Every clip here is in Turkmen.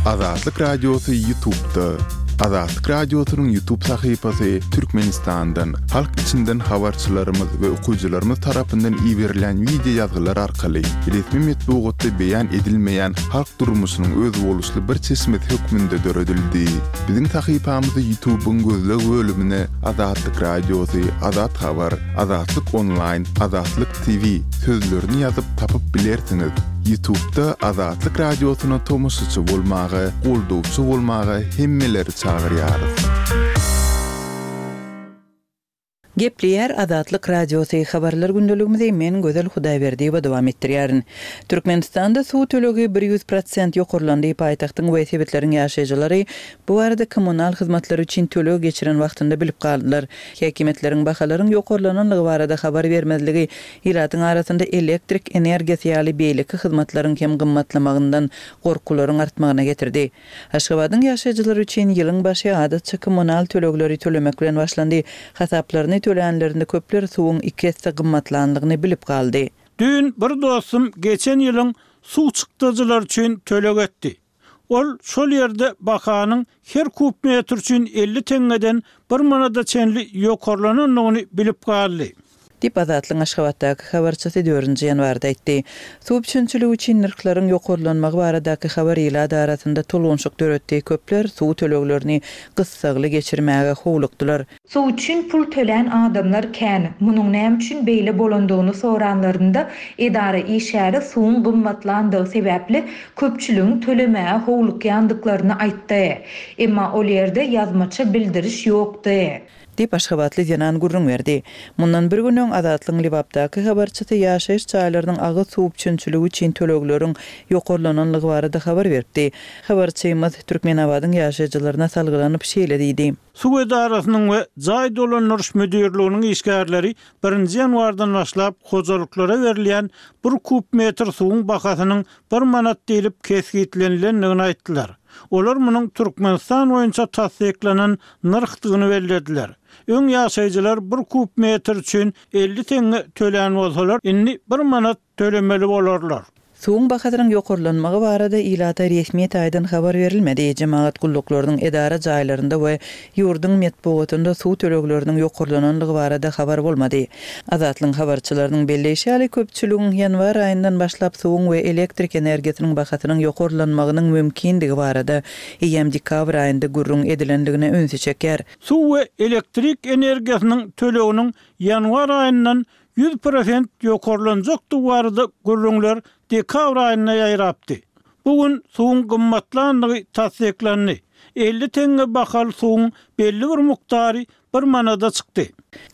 Azatlyk Radiosy Ýutubda. Azatlyk Radiosynyň Ýutub sahypasy Türkmenistandan, halk içinden habarçylarymyz we okyjylarymyz tarapyndan iberilýän wideo ýazgylar arkaly resmi metbugatda beýan edilmeýän halk durmuşynyň özboluşly bir çeşmesi hökmünde döredildi. Biziň sahypamyzy Ýutubyň gözleg bölümine Azatlyk Radiosy, Azat Habar, Azatlyk Onlaýn, Azatlyk TV sözlerini ýazyp tapyp bilersiňiz. Ýutubda Azatlyk Radiosyna tomaşaçy bolmaga, goldawçy bolmaga hemmeleri çagyrýarys. Gepleýär Azatlyk Radiosy, Habarlar gündeligimizi men Gözel Hudaýberdiýewa dowam etdirýärin. Türkmenistanda suw tölegi 100 prosent ýokarlandy, paýtagtyň we sebitleriň ýaşaýjylary bu barada kommunal hyzmatlary üçin töleg geçiren wagtynda bilip galdylar. Häkimiýetleriň bahalaryň ýokarlananlygy barada habar bermezligi ilatyň arasynda elektrik energiýasy ýaly beýleki hyzmatlaryň hem gymmatlamagyndan gorkularyň artmagyna getirdi. Aşgabadyň ýaşaýjylary üçin ýylyň başy adatça kommunal tölegleri tölemek bilen başlandy. Hasaplaryny tölänlerinde köpler suwuň iki esse gymmatlanlygyny bilip galdy. Düýn bir dostum geçen ýylyň suw çykdajylary üçin töleg etdi. Ol şol ýerde bahanyň her kub metr üçin 50 teňňeden bir manada çenli ýokarlanandygyny bilip galdy. Diýip, Azatlygyň Aşgabatdaky habarçysy dördünji ýanwarda aýtdy. Suw üpjünçiligi üçin nyrhlaryň ýokarlanmagy baradaky habar ilat arasynda tolgunşyk döretdi, köpler suw töleglerini gyssagly geçirmäge howlukdylar. Suw üçin pul tölän adamlar kän. Munuň näme üçin beýle bolandygyny soranlarynda, edara işgäri suwuň gymmatlandygy sebäpli köpçüligiň tölemäge howlukýandyklaryny aýtdy. Emma ol ýerde ýazmaça bildiriş ýokdy. Diýip, aşgabatly zenan gürrüň berdi. Mundan bir gün öň Azatlygyň Lebapdaky habarçysy ýaşaýyş jaýlarynyň agyz suw üpjünçiligi üçin tölegleriň ýokarlananlygy barada habar beripdi. Habarçymyz Türkmenabadyň ýaşaýjylaryna salgylanyp şeýle diýdi. Suw edarasynyň we jaý dolandyryş müdirliginiň işgärleri birinji ýanwardan başlap hojalyklara berilýän bir kub metr suwuň bahasynyň bir manat diýlip kesgitlenilendigini aýtdylar. Olar munuň Türkmenistan boýunça tassyklanan nyrhdygyny bellediler. Öň ýaşaýjylar bir kub metr üçin 50 teňňe tölän bolsalar, indi bir manat tölemeli bolarlar. Suwuň bahasynyň ýokarlanmagy barada ilata resmi taýdan habar berilmedi. Jemagat gulluklarynyň edara jaýlarynda we ýurduň metbugatynda suw tölegleriniň ýokarlananlygy barada habar bolmady. Azatlygyň habarçylarynyň belleýşi ýaly, köpçüligiň ýanwar aýyndan başlap suwuň we elektrik energiýasynyň bahasynyň ýokarlanmagynyň mümkindigi barada eýýäm dekabr aýynda gürrüň edilendigine ünsi çekýär. Suw we elektrik energiýasynyň töleginiň ýanwar aýyndan 100% ýokarlanjakdygy barada gürrüňler dekabr aýynda ýaýrapdy. Bu gün suwuň gymmatlandygy tassyklandy. 50 teňňe bahaly suwuň belli bir mukdary bir manada çykdy.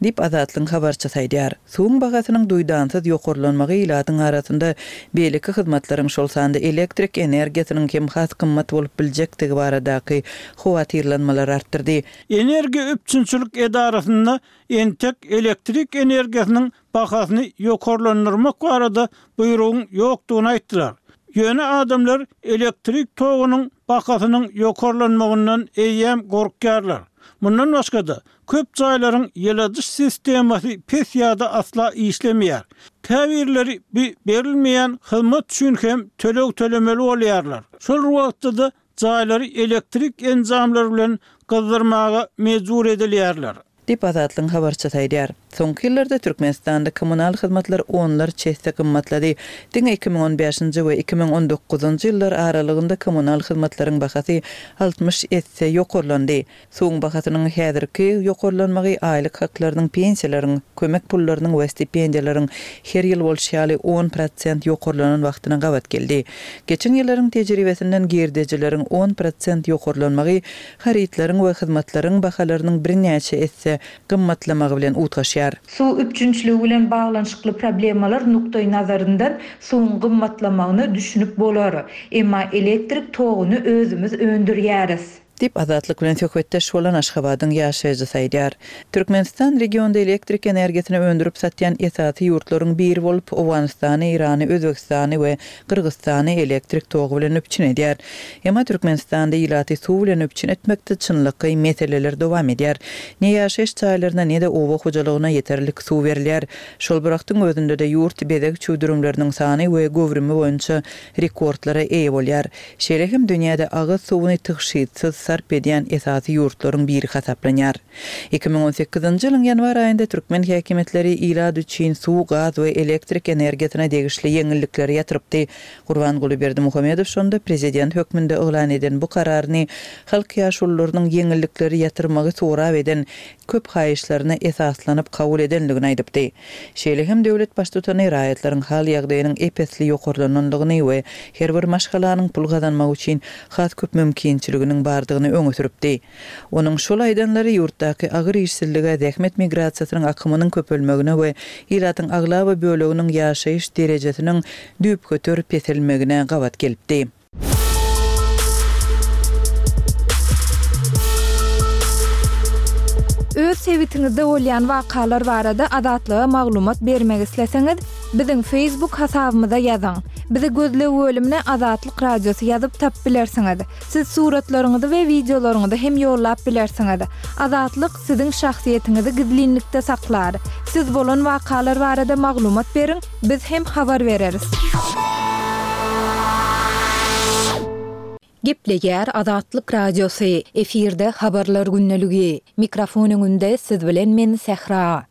Diýip, Azatlygyň habarçysy aýdýar. Suwuň bahasynyň duýdansyz ýokarlanmagy ilatyň arasynda beýleki hyzmatlaryň, şol sanda elektrik energiýasynyň hem has gymmat bolup biljekdigi baradaky howatyrlanmalary artdyrdy. Energiýa üpjünçilik edarasynda Entek elektrik energiýasynyň bahasyny ýokarlandyrmak barada buýrugyň ýokdugyny aýtdylar. Ýöne adamlar elektrik togunyň bahasynyň ýokarlanmagyndan eýýäm gorkýarlar. Mundan başga-da, köp jaýlaryň ýyladyş sistemasy pes ýa-da asla işlemeýär. Käbirleri bu berilmeýän hyzmat üçin hem töleg tölemeli bolýarlar. Şol bir wagtda-da, jaýlary elektrik enjamlary bilen gyzdyrmaga mejbur edilýärler. Diýip, Azatlygyň habarçysy aýdýar. Soňky ýyllarda Türkmenistanda kommunal hyzmatlar onlarça esse gymmatlady. Diňe 2015-nji we 2019-njy ýyllar aralygynda kommunal hyzmatlaryň bahasy 60 esse ýokarlandy. Suwuň bahasynyň häzirki ýokarlanmagy aýlyk haklarynyň, pensiýalaryň, kömek pullarynyň we stipendiýalaryň her ýyl bolşy ýaly 10% ýokarlanan wagtyna gabat geldi. Geçen ýyllaryň tejribesinden girdejileriň 10% ýokarlanmagy harytlaryň we hyzmatlaryň bahalarynyň birnäçe esse gymmatlamagy bilen utgaşýar. Suw üpjünçiligi bilen baglanyşykly problemalar nukdaýnazaryndan suwuň gymmatlamagyna düşünip bolar. Emma elektrik toguny özümiz öndürýäris. Diýip, Azatlyk bilen söhbetdeş bolan Aşgabadyň ýaşaýjysy aýdýar. Türkmenistan regionda elektrik energiýasyny öndürip satýan esasy ýurtlaryň biri bolup, Owganystany, Eýrany, Özbegistany we Gyrgyzystany elektrik togy bilen üpjün edýär. Emma Türkmenistanda ilaty suw bilen üpjün etmekde çynlakaý meseleler dowam edýär. Ne ýaşaýyş jaýlaryna, ne-de oba hojalygyna ýeterlik suw berilýär. Şol bir wagtyň özünde-de ýurt bezeg çüwdürimleriniň sany we göwrümi boýunça rekordlara eýe bolýar. Şeýle hem dünýäde agyz suwuny tygşytsyz sarp edýän esasy ýurtlaryň biri hasaplanýar. 2018-nji ýylyň ýanwar aýynda türkmen häkimiýetleri ilat üçin suw, gaz we elektrik energiýasyna degişli ýeňillikleri ýatyrypdy. Gurbanguly Berdimuhamedow şonda prezident hökmünde yglan eden bu kararyny halk ýaşulularynyň ýeňillikleri ýatyrmagy sorap eden köp haýyşlaryna esaslanyp kabul edendigini aýdypdy. Şeýle hem döwlet Baştutany raýatlaryň hal-ýagdaýynyň ep-esli ýokarlanandygyny we her bir maşgalanyň pul gazanmak üçin has köp mümkinçiliginiň bardygyny öňe sürüpdi. Onuň şol aýdanlary ýurtdaky agyr işsizlige, zähmet migrasiýasynyň akymynyň köpelmegine we ilatyň aglaba böleginiň ýaşaýyş derejesiniň düýpgöter peselmegine gabat gelipdi. Öz sebitiňizde bolýan wakalar barada Azatlyga maglumat bermek isleseňiz, biziň Facebook hasabymyza ýazyň. Bizi gözleg bölümine Azatlyk Radiosy ýazyp tapyp bilersiňiz. Siz suratlaryňyzy we wideolaryňyzy hem ýollap bilersiňiz. Azatlyk siziň şahsyýetiňizi gizlinlikde saklar. Siz bolan wakalar barada maglumat beriň, Biz hem habar bereris. Gepleýär Azatlyk Radiosy, efirde Habarlar gündeligi. Mikrofon öňünde siz bilen men Sähra.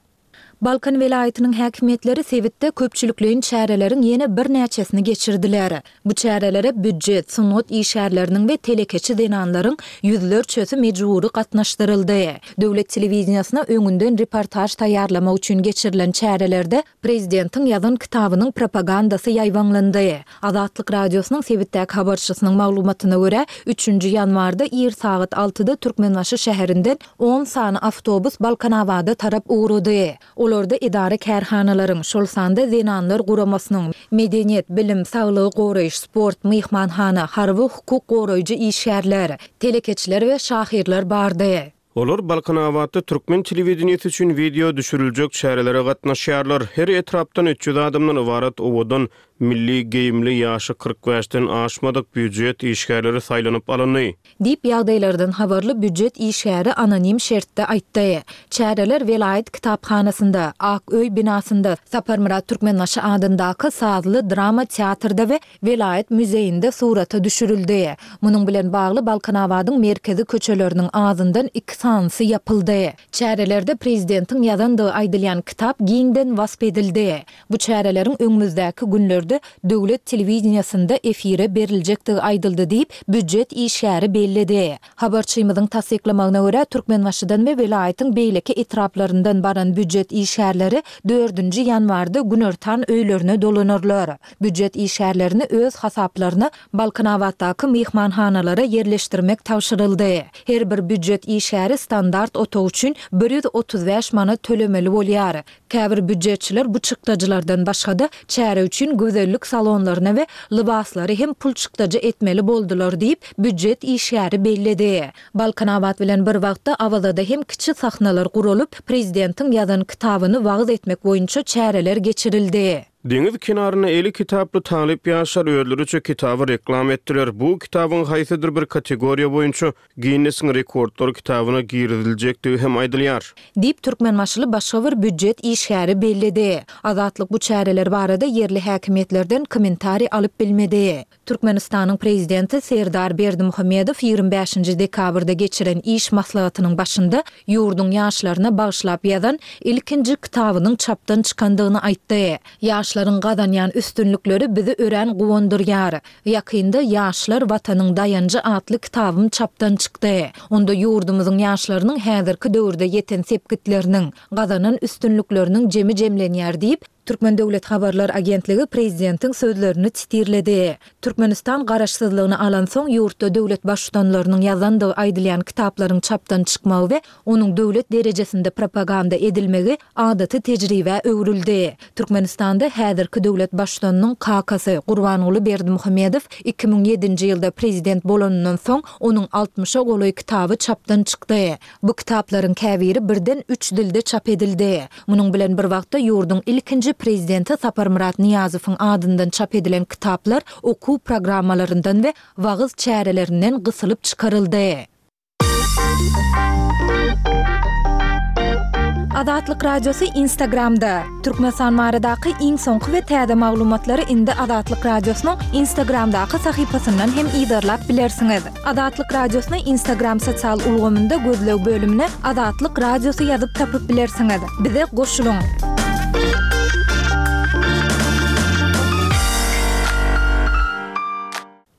Balkan welaýatynyň häkimiýetleri sebitde köpçülikleýin çäreleriň ýene birnäçesini geçirdiler. Bu çärelere býujet, sungat işgärleriniň we telekeçi zenanlaryň ýüzlerçesi mejbury gatnaşdyryldy. Döwlet telewideniýesine öňünden reportaž taýýarlamak üçin geçirilen çärelerde Prezidentiň ýazan kitabynyň propagandasy ýaýbaňlandy. Azatlyk Radiosynyň sebitdäki habarçysynyň maglumatyna görä, üçünji ýanwarda ir sagat altyda Türkmenbaşy şäherinden on sany awtobus Balkanabada tarap ugrady. Olarda edara-kärhanalaryň, şol sanda Zenanlar guramasynyň, medeniýet, bilim, saglygy goraýyş, sport, myhmanhana, harby, hukuk goraýjy işgärler, telekeçiler we şahyrlar bardy. Olar Balkanabatda türkmen telewideniýesi üçin wideo düşüriljek çärelere gatnaşýarlar. Her etrapdan 300 adamdan ybarat owadan, milli geýimli, ýaşy 45-den aşmadyk býujet işgärleri saýlanyp alyndy. Diýip, ýagdaýlardan habarly býujet işgäri anonim şertde aýtdy. Çäreler welaýat kitaphanasynda, Ak öý binasynda, Saparmyrat Türkmenbaşy adyndaky sazly drama teatrda we welaýat muzeýinde surata düşürildi. Munuň bilen bagly Balkanabadyň merkezi köçeleriniň azyndan iki sanysy ýapyldy. Çärelerde prezidentiň ýazandygy aýdylýan kitap giňden wasp edildi. Bu çäreleriň öňümizdäki günlerde döwlet telewideniýesinde efire beriljekdigi aýdyldy diýip, býujet işgäri belledi. Habarçymyzyň tassyklamagyna görä, Türkmenbaşydan we welaýatyň beýleki etraplaryndan baran býujet işgärleri dördünji ýanwarda günortan öýlerine dolanarlar. Býujet işgärlerini öz hasaplaryna Balkanabatdaky myhmanhanalara ýerleşdirmek tabşyryldy. Her bir býujet işgäri standart otag üçin 135 manat tölemeli bolýar. Käbir býujetçiler bu çykdajylardan başga-da, çäre üçin gözellik salonlaryna we lybaslary hem pul çykdajy etmeli boldular diýip, býujet işgäri belledi. Balkanabat bilen bir wagtda Awazada hem kiçi sahnalar guralyp, prezidentiň ýazan kitabyny wagyz etmek boýunça çäreler geçirildi. Deňiz kenarynda eli kitaply talyp ýaşlar özleriçe kitaby reklama etdiler. Bu kitabyň haýsydyr bir kategoriýa boýunça Ginnesiň rekordlar kitabyna giriziljekdigi hem aýdylýar. Diýip, türkmenbaşyly başga bir býujet işgäri belledi. Azatlyk bu çäreler barada ýerli häkimiýetlerden kommentariý alyp bilmedi. Türkmenistanyň Prezidenti Serdar Berdimuhamedow 25-nji dekabrda geçiren iş maslahatynyň başynda ýurduň ýaşlaryna bagyşlap ýazan ilkinji kitabynyň çapdan çykandygyny aýtdy. Ýaşlaryň gazanýan üstünlikleri bizi örän guwandyrýar. Ýakynda Ýaşlar, Watanyň daýanjy atly kitabym çapdan çykdy. Onda ýurdumyzyň ýaşlarynyň häzirki döwürde ýeten sepgitleriniň, gazanan üstünlikleriniň jemi jemlenýär diýip, Türkmen döwlet habarlar agentligi prezidentiň sözlerini titirledi. Türkmenistan garaşsyzlygyny alansoň, ýurtda döwlet baştutanlarynyň ýazandygy aýdylýan kitaplaryň çapdan çykmagy we onuň döwlet derejesinde propaganda edilmegi adaty tejribä öwrüldi. Türkmenistanda häzirki döwlet baştutanynyň kakasy Gurbanguly Berdimuhamedow 2007-nji ýylda prezident bolanyndan soň, onuň altmyşa golaý kitaby çapdan çykdy. Bu kitaplaryň käbiri birden üç dilde çap edildi. Munuň bilen bir wagtda ýurduň ilkinji Prezidenti Saparmyrat Nyýazowyň adyndan çap edilen kitaplar okuw programmalaryndan we wagyz çärelerinden gysylyp çykaryldy. Azatlyk Radiosy Instagramda, Türkmenistan baradaky iň soňky we täze maglumatlary indi Azatlyk Radiosynyň Instagramdaky sahypasyndan hem yzarlap bilersiňiz. Azatlyk Radiosyny Instagram sosial ulgamynda gözleg bölümine Azatlyk Radiosy ýazyp tapyp bilersiňiz. Bize goşulyň!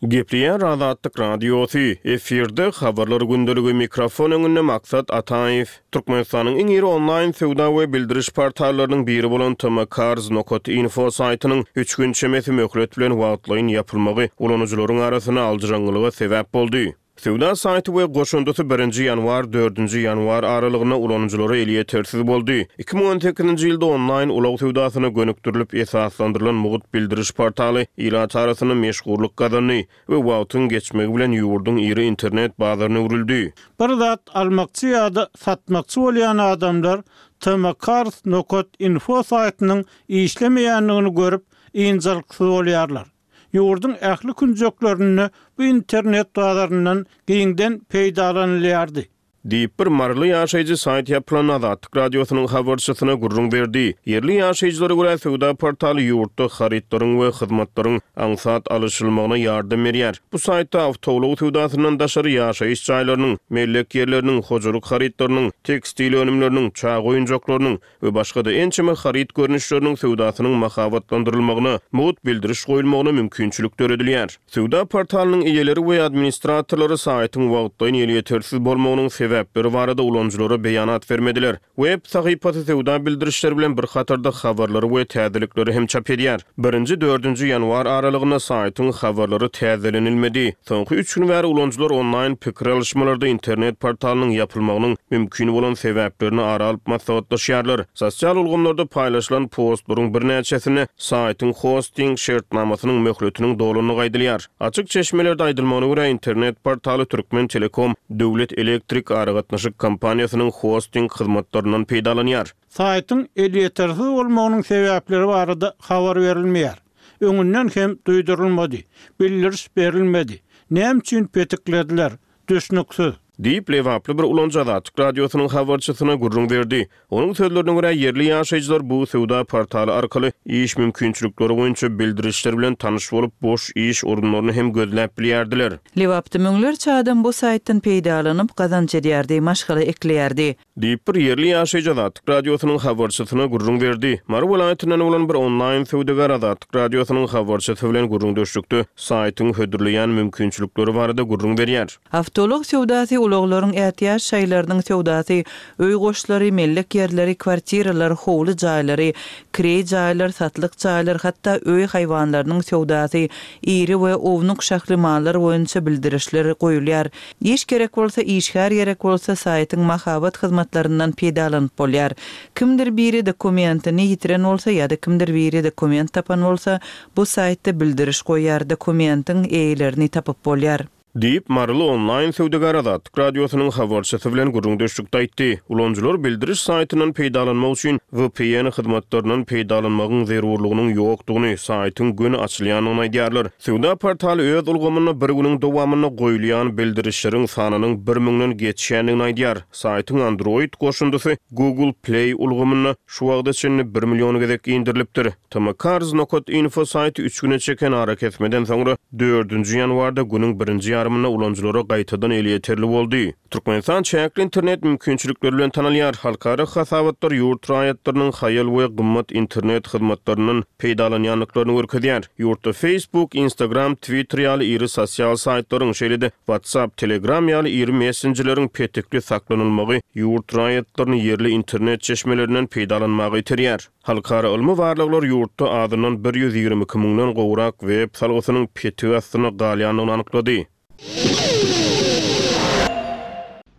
Gepleýär Azatlyk Radiosy, efirde Habarlar gündeligi, mikrofon öňünde Maksat Ataýew. Türkmenistanyň iň iri onlaýn söwda we bildiriş portallarynyň biri bolan tmcars nokat info saýtynyň üç gün çemesi möhlet bilen wagtlaýyn ýapylmagy ulanyjylaryň arasynda aljyraňňylyga sebäp boldy. Söwda saýty we goşundysy birinji ýanwar, dördünji ýanwar aralygynda ulanyjylara elýetersiz boldy. 2018-nji ýylda onlaýn ulag söwdasyna gönükdirilip esaslandyrylan mugt bildiriş portaly ilat arasynda meşhurlyk gazandy we wagtyň geçmegi bilen ýurduň iri internet bazaryna öwrüldi. Bir zat almakçy ýa-da satmakçy bolýan adamlar tmcars nokat info saýtynyň işlemeýändigini görüp, ynjalyksyz bolýarlar. Ýurduň ähli künjeklerinde bu internet bazaryndan giňden peýdalanylýardy. Diýip, bir maryly ýaşaýjy saýt ýapylan Azatlyk Radiosynyň habarçysyna gürrüň berdi. Ýerli ýaşaýjylara görä, söwda portaly ýurtda harytlaryň we hyzmatlaryň aňsat alyşylmagyna ýardam berýär. Bu saýtda awtoulag söwdasyndan daşary ýaşaýyş jaýlarynyň, mellek ýerleriniň, hojalyk harytlarynyň, tekstil önümleriniň, çaga oýunjaklarynyň we başga-da ençeme haryt görnüşleriniň söwdasynyň mahabatlandyrylmagyna, mugt bildiriş goýulmagyna mümkinçilik döredilýär. Söwda portalynyň eýeleri we administratorlary saýtyň wagtlaýyn elýetersiz bolmagynyň sebäpleri barada ulanyjylara beýanat bermediler. Web sahypasy söwda bildirişleri bilen bir hatarda habarlary we täzelikleri hem çap edýär. Birinji, dördünji ýanwar aralygynda saýtyň habarlary täzelenilmedi. Soňky üç gün bäri ulanyjylar onlaýn pikir alyşmalarda internet portalynyň ýapylmagynyň mümkin bolan sebäplerini ara alyp maslahatlaşýarlar. Sosial ulgamlarda paýlaşylan postlaryň birnäçesinde saýtyň hosting şertnamasynyň möhletiniň dolandygy aýdylýar. Açyk çeşmelerde aýdylmagyna görä, internet portaly Türkmentelekom döwlet elektrik aragatnaşyk kompaniýasynyň hosting hyzmatlaryndan peýdalanýar. Saýtyň elýetersiz bolmagynyň sebäpleri barada habar berilmeýär. Öňünden hem duýdurylmady. Bildiriş berilmedi. Näme üçin petiklediler? Düşnüksiz. Diýip, lebaply bir ulanyjy Azatlyk Radiosynyň habarçysyna gürrüň berdi. Onuň sözlerine görä, ýerli ýaşaýjylar bu söwda portaly arkaly iş mümkinçilikleri boýunça bildirişler bilen tanyş bolup, boş iş orunlaryny hem gözläp bilýärdiler. Lebapda müňlerçe adam bu saýtdan peýdalanyp, gazanç edýärdi, maşgala ekleýärdi. Diýip, bir ýerli ýaşaýjy Azatlyk Radiosynyň habarçysyna gürrüň berdi. Mary welaýatyndan bolan bir onlaýn söwdagär Azatlyk Radiosynyň habarçysy bilen gürrüňdeşlikde saýtyň hödürleýän mümkinçilikleri barada gürrüň berýär. Awtoulag söwdasy, ulaglaryň ätiýaç şaýlarynyň söwdasy, öý goşlary, mellek ýerleri, kwartiralar, howly jaýlary, kireý jaýlar, satlyk jaýlar, hatda öý haýwanlarynyň söwdasy, iri we ownuk şahly mallar boýunça bildirişler goýulýar. Iş gerek bolsa, işgär gerek bolsa saýtyň mahabat hyzmatlaryndan peýdalanyp bolýar. Kimdir biri dokumentini ýitiren bolsa ýa-da kimdir biri dokument tapan bolsa, bu saýtda bildiriş goýýar, dokumentiň eýelerini tapyp bolýar. Diýip, maryly onlaýn söwdagär Azatlyk Radiosynyň habarçysy bilen gürrüňdeşlikde aýtdy. Ulanyjylar bildiriş saýtyndan peýdalanmak üçin VPN hyzmatlaryndan peýdalanmagyň zerurlygynyň ýokdugyny, saýtyň göni açylýandygyny aýdýarlar. Söwda portaly öz ulgamynda bir günüň dowamynda goýulýan bildirişleriň sanynyň bir müňden geçýändigini aýdýar. Saýtyň Android goşundysy Google Play ulgamynda şu wagta çenli bir million gezek indirilipdir. Tmcars nokat info saýty üç güne çeken arakesmeden soňra dördünji ýanwarda günüň birinji ýarymynda. ýarymynda ulanyjylara gaýtadan elýeterli boldy. Türkmenistan çäkli internet mümkinçilikleri bilen tanalýar. Halkara hasabatlar ýurt raýatlarynyň haýal we gymmat internet hyzmatlaryndan peýdalanýandyklaryny görkezýär. Ýurtda Facebook, Instagram, Twitter ýaly iri sosial saýtlaryň, şeýle-de WhatsApp, Telegram ýaly iri messenjerleriň petikli saklanylmagy ýurt raýatlaryny ýerli internet çeşmelerinden peýdalanmaga iterýär. Halkara ylmy barlaglar ýurtda azyndan 122 müňden gowrak web salgysynyň petik astynda galýandygyny anyklady.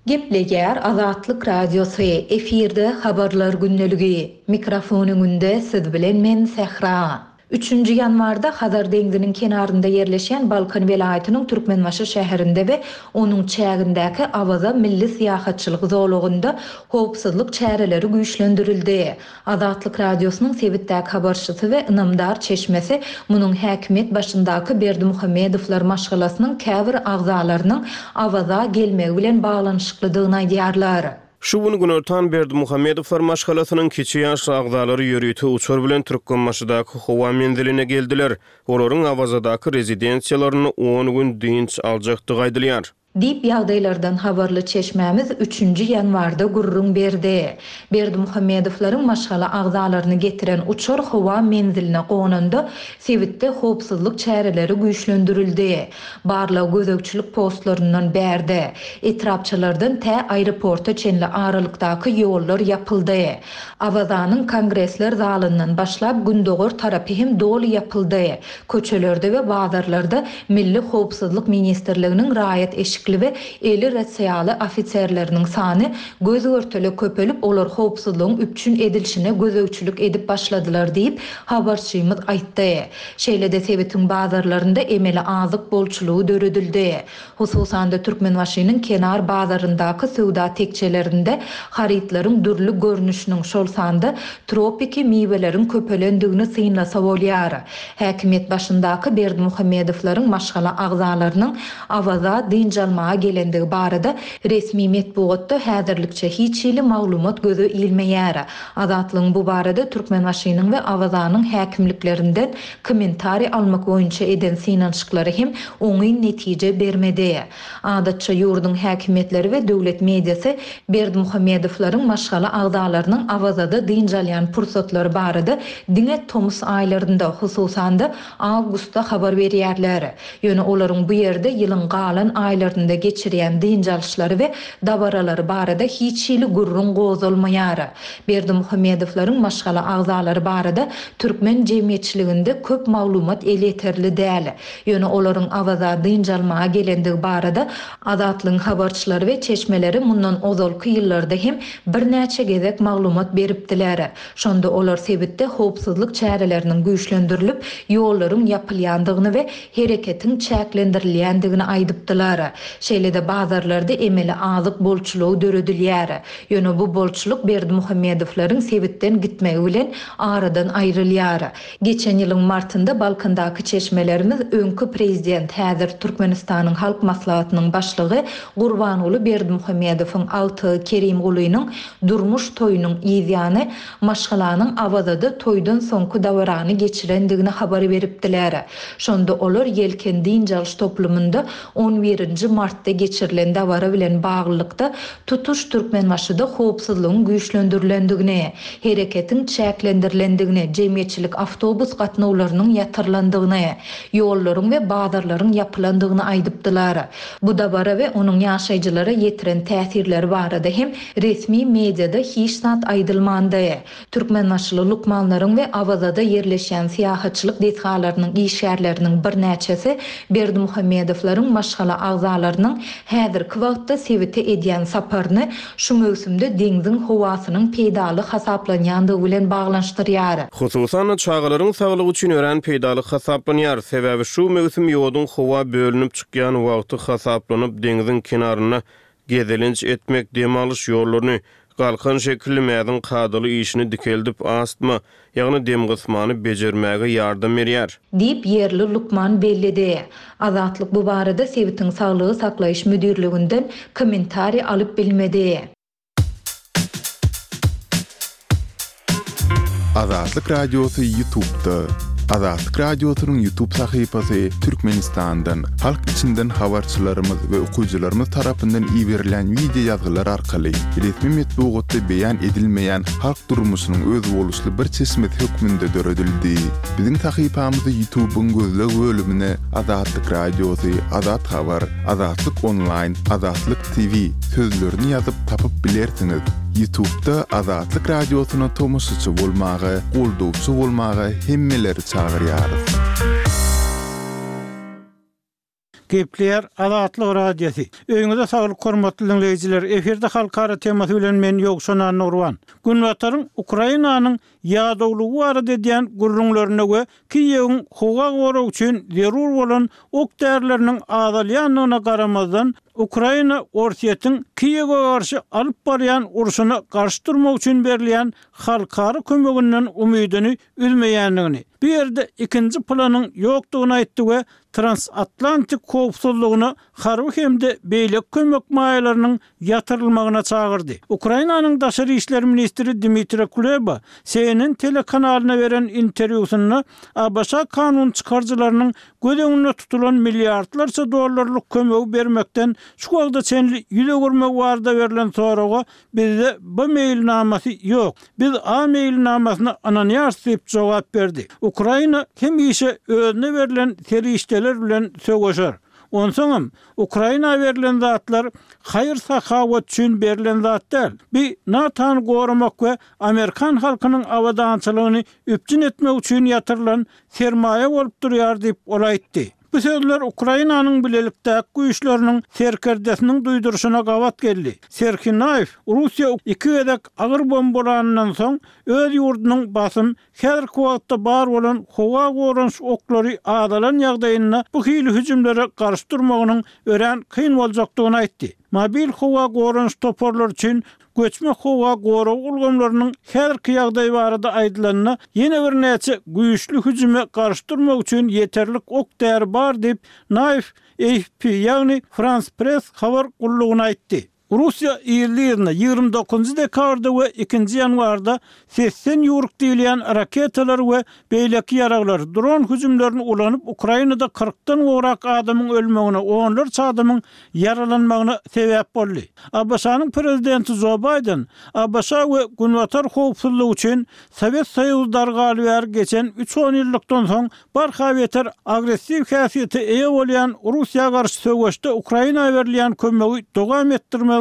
Gepleýär Azatlyk Radiosy, efirde Habarlar gündeligi. Mikrofon öňünde siz bilen men Sähra. Üçünji ýanwarda Hazar deňziniň kenarynda ýerleşýän Balkan welaýatynyň Türkmenbaşy şäherinde we onuň çägindäki Awaza milli syýahatçylyk zolagynda howpsuzlyk çäreleri güýçlendirildi. Azatlyk Radiosynyň sebitdäki habarçysy we ynamdar çeşmesi munuň häkimiýet başyndaky Berdimuhamedowlar maşgalasynyň käbir agzalarynyň Awaza gelmegi bilen baglanyşyklydygyny aýdýarlar. Şu gün günortan Berdimuhamedowlar maşgalasynyň kiçi ýaşly agzalary ýörite uçar bilen Türkmenbaşydaky howa menziline geldiler. Olaryň Awazadaky rezidensiýalarynda on gün dynç aljakdygy aýdylýar. Diýip, ýagdaýlardan habarly çeşmämiz üçünji ýanwarda gürrüň berdi. Berdimuhamedowlaryň maşgala agzalaryny getiren uçar howa menziline gonanda, sebitde howpsuzlyk çäreleri güýçlendirildi. Barlag-gözegçilik postlaryndan bärde, etrapçalardan tä aeroporta çenli aralykdaky ýollar ýapyldy. Awazanyň Kongresler zalyndan başlap gündogar tarapy hem doly ýapyldy. Köçelerde we bazarlarda Milli howpsuzlyk ministrliginiň raýat eşikli we eli rasiýaly ofiserleriniň sany göz-görtele köpelip, olar howpsuzlygyň üpjün edilişine gözegçilik edip başladylar diýip, habarçymyz aýtdy. Şeýle-de sebitiň bazarlarynda emeli azyk bolçulygy döredildi. Hususan-da, Türkmenbaşynyň kenar bazaryndaky söwda tekjelerinde harytlaryň dürli görnüşiniň, şol sanda tropiki miweleriň köpelendigini synlasa bolýar. Häkimiýet başyndaky Berdimuhamedowlaryň maşgala agzalarynyň Awaza dynç almaga gelendigi barada resmi metbugatda häzirlikçe hiç hili maglumat göze ilmeýär. Azatlygyň bu barada Türkmenbaşynyň we Awazanyň häkimliklerinden kommentariý almak boýunça eden synanyşyklary hem oňyn netije bermedi. Adatça ýurduň häkimiýetleri we döwlet mediasy Berdimuhamedowlaryň maşgala agzalarynyň Awazada dynç alýan pursatlary barada diňe tomus aýlarynda, hususan-da, awgustda habar berýärler. Ýöne olaryň bu ýerde ýylyň galan aýlarynda geçirýän dynç alyşlary we dabaralary barada hiç hili gürrüň gozalmaýar. Berdimuhamedowlaryň maşgala agzalary barada türkmen jemgyýetçiliginde köp maglumat elýeterli däl. Ýöne olaryň Awaza dynç almaga gelendigi barada Azatlygyň habarçylary we çeşmeleri mundan ozalky ýyllarda hem birnäçe gezek maglumat beripdiler. Şonda olar sebitde howpsuzlyk çäreleriniň güýçlendirilip, ýollaryň ýapylýandygyny we hereketiň çäklendirilýändigini aýdypdylar. Şeýle-de bazarlarda emeli azyk bolçulygy döredilýär. Ýöne bu bolçulyk Berdimuhamedowlaryň sebitden gitmegi bilen aradan aýrylýar. Geçen ýylyň martynda Balkandaky çeşmelerimiz öňki prezident, häzir Türkmenistanyň Halk Maslahatynyň başlygy Gurbanguly Berdimuhamedowyň agtygy Kerimgulynyň durmuş toýunyň yzýany maşgalanyň Awazada toýdan soňky dabarany geçirendigini habar beripdiler. Şonda olar Ýelken dynç alyş toplumynda on birinji martda geçirilen dabara bilen baglylykda tutuş Türkmenbaşyda howpsuzlygyň güýçlendirilendigini, hereketiň çäklendirilendigini, jemgyýetçilik awtobus gatnawlarynyň ýatyrylandygyny, ýollaryň we bazarlaryň ýapylandygyny aýdypdylar. Bu dabara we onuň ýaşaýjylara ýetiren täsirleri barada hem resmi mediada hiç zat aýdylmandy. Türkmenbaşyly lukmanlaryň we Awazada ýerleşýän syýahatçylyk desgalarynyň işgärleriniň birnäçesi Berdimuhamedowlaryň maşgala agzalarynyň häzirki wagtda sebite edýän saparyny şu möwsümde deňziň howasynyň peýdaly hasaplanýandygy bilen baglanyşdyrýar. Hususan-da, çagalaryň saglygy üçin örän peýdaly hasaplanýar. Sebäbi şu möwsüm ýoduň howa bölünip çykýan wagty hasaplanyp, deňziň kenarynda Gezelenç etmek dem alyş ýollaryny, galkan şekilli mäziň kadaly işini dikeldip, astma, ýagny demgysmany bejermäge ýardam berýär. Diýip, ýerli lukman belledi. Azatlyk bu barada sebitiň saglygy saklaýyş müdirliginden kommentariý alyp bilmedi. Azatlyk Radiosy Ýutubda. Azatlyk Radiosynyň YouTube sahypasy Türkmenistandan, halk içinden habarçylarymyz we okyjylarymyz tarapyndan iberilýän wideo ýazgylar arkaly resmi metbugatda beýan edilmeýän halk durmuşynyň özboluşly bir çeşmesi hökmünde döredildi. Biziň sahypamyzy YouTube-yň gözleg bölümine Azatlyk Radiosy, Azat Habar, Azatlyk Onlaýn, Azatlyk TV sözlerini ýazyp tapyp bilersiňiz. Ýutubda Azatlyk Radiosyna tomaşaçy bolmaga, goldawçy bolmaga hemmeleri çagyrýarys. Gepleýär Azatlyk Radiosy. Öýüňize saglyk hormatly diňleýjiler. Efirde halkara temasy bilen men Ýowşan Annagurban. Günbataryň Ukrainanyň ýadawlygy barada edýän gürrüňlerine we Kiýewiň howa goragy üçin zerur bolan ok-därileriniň azalýandygyna garamazdan, Ukraina Orsýetiň Kiýewe garşy alyp barýan urşuna garşy durmak üçin berilýän halkara kömeginden umydyny üzmeýändigini, bu ýerde ikinji planyň ýokdugyny aýtdy we transatlantik howpsuzlygyna harby hem-de beýleki kömek maýalarynyň ýatyrylmagyna çagyrdy. Ukrainanyň daşary işler ministri Dmitri Kuleba CNN telekanalyna beren interwýusynda ABŞ kanun çykaryjylarynyň göz öňünde tutulan milliardlarça dollarlyk kömegi bermekden şu wagta çenli ýüz öwürmegi barada berlen soraga bizde B meýilnamasy ýok, biz A meýilnamasyna ynanýarys diýip jogap berdi. Ukraina hemişe özüne berlen serişdeler bilen söweşer. Onsoňam, Ukraina berlen zatlar haýyr-sahawat üçin berlen zat däl. Bi NATO-ny goramak we amerikan halkynyň abadançylygyny üpjün etmek üçin ýatyrylan sermaýa bolup durýar diýip, ol aýtdy. Bu sözler Ukrainanyň bilelikdäki güýçleriniň serkerdesiniň duýduryşyna gabat geldi. Serhiý Naýew Russiýa iki gezek agyr bombalanyndan soň, öz ýurdunyň basym Häzirki wagtda bar bolan howa goranyş oklary azalan ýagdaýynda bu hili hüjümlere garşy durmagynyň örän kyn boljakdygyny aýtdy. Mobil howa goranyş toparlary üçin göçme howa gorag ulgamlarynyň häzirki ýagdaýy barada aýdylanda, ýene birnäçe güýçli hüjüme garşy durmak üçin ýeterlik ok-däri bar diýip, Naýew AFP, ýagny Frans Press habar gullugyna aýtdy. Russiýa yzly-yzyna 29 dekabrda we ikinji ýanwarda sesden ýüwrük diýilýän raketalary we beýleki ýaraglary, dron hüjümlerini ulanyp, Ukrainada kyrkdan gowrak adamyň ölmegine, onlarça adamyň ýaralanmagyna sebäp boldy. ABŞ-nyň prezidenti Jo Baýden ABŞ we Günbatar howpsuzlygy üçin Sowet Soýuzy dargaly bäri geçen üç onýyllykdan soň Barha beter agressiw häsiýete eýe bolýan Russiýa garşy söweşde Ukraina berilýän kömegi dowam etdirmegiň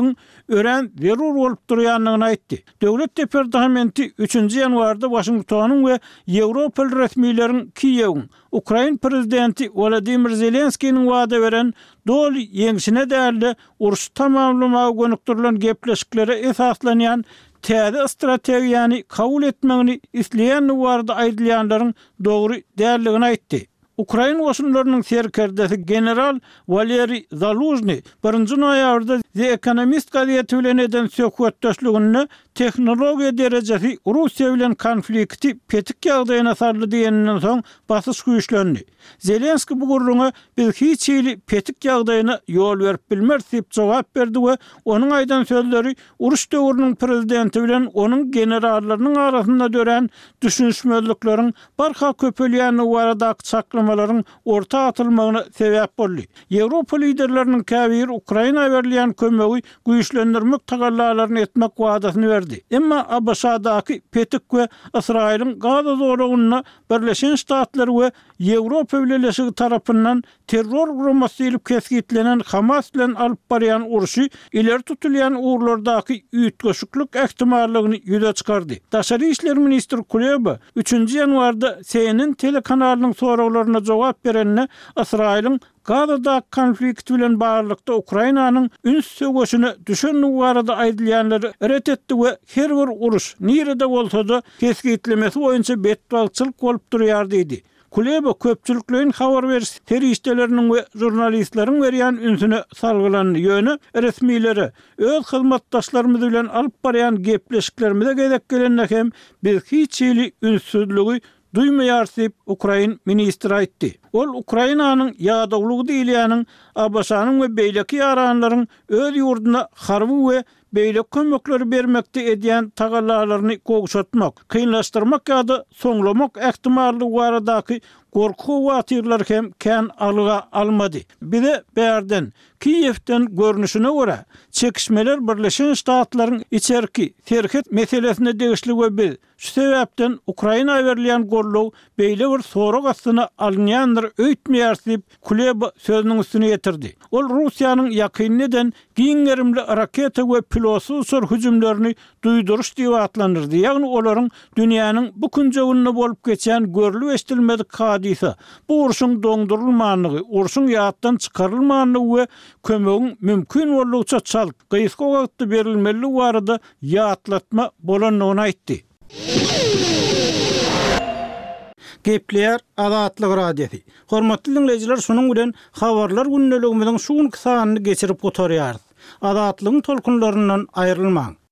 örän zerur bolup durýandygyny aýtdy. Döwlet departamenti üçünji ýanwarda Waşingtonyň we ýewropaly resmileriň Kiýewiň ukrain prezidenti Wolodymyr Zelenskiniň wada beren doly ýeňşine däl-de, urşy tamamlamaga gönükdirilen gepleşiklere esaslanýan täze strategiýany kabul etmegini isleýändigi barada aýdylýanlaryň dogry däldigini aýtdy. Ukrain goşunlarynyň serkerdesi general Waleriý Zalužnyý birinji noýabrda The Economist gazeti bilen eden söhbetdeşliginde tehnologiýa derejesi Russiýa bilen konflikti petik ýagdaýyna saldy diýeninden soň basyş güýçlendi. Zelenskiý bu gürrüňe biz hiç hili petik ýagdaýyna ýol berip bilmeris diýip jogap berdi we onuň aýdan sözleri Uruş döwrüniň prezidenti bilen onuň generallarynyň arasynda dörän düşünişmezlikleriň barha köpelýändigi baradaky çaklamalaryň orta atylmagyna sebäp boldy. Ýewropa liderleriniň käbiri Ukraina berilýän kömegi güýçlendirmek tagallalaryny etmek wadasyny berdi. Emma ABŞ-daky petik we Ysraýylyň Gaza zolagynda Birleşen Ştatlar we Ýewropa Bileleşigi tarapyndan terror guramasy diýlip kesgitlenen Hamas bilen alyp barýan urşy ileri tutulýan ugurlardaky üýtgeşiklik ähtimallygyny ýüze çykardy. Daşary işler ministri Kuleba üçünji ýanwarda CNN telekanalynyň soraglaryna jogap berende Ysraýylyň Gazadaky konflikt bilen baglylykda Ukrainanyň üns söweşine düşendigi barada aýdylýanlary ret etdi we her bir uruş, nirede bolsa-da, kesgitlemesi boýunça betbagtçylyk bolup durýar diýdi. Kuleba köpçülikleýin habar beriş serişdeleriniň we žurnalistleriň berýän ünsüne salgylandy, ýöne resmilere öz hyzmatdaşlarymyz bilen alyp barýan gepleşiklerimize gezek gelende hem biz hiç hili ünssüzligi duýmaýarys diýip, ukrain ministri aýtdy. Ol Ukrainanyň ýadawlygy diýilýäniň ABŞ-nyň we beýleki ýaranlaryň öz ýurduna harby we. beýleki kömekleri bermekde edýän tagallalaryny gowşatmak, kynlaşdyrmak ýa-da soňlamak ähtimallygy baradaky gorky-howatyrlary hem kän alga almady. Bize bärden, Kiýewden görnüşine görä, çekişmeler Birleşen Ştatlaryň içerki, serhet meselesine degişli we biz, Şu sebäpden Ukraina berilýän goldaw beýle bir sorag astyna alynýandyr öýtmeýäris diýip, Kuleba sözüniň üstüni ýetirdi. Ol Russiýanyň ýakynda eden giň gerimli raketa we pilotsyz uçar hüjümlerini duýduryş diýip atlandyrdy, ýagny olaryň dünýäniň bu künjeginde bolup geçýän görlüp-eşidilmedik hadysa, bu urşuň doňdurylmandygy, urşuň ýatdan çykarylmandygy we kömegiň mümkin boldugyça çalt, gysga wagtda berilmelidigi barada ýatlatma bolandygyny aýtdy. Gepleýär Azatlyk Radiosy. Hormatly diňleýjiler şunuň bilen Habarlar gündeligimiziň şu günki sanyny geçirip gutarýarys. Azatlygyň tolkunlaryndan aýrylmaň!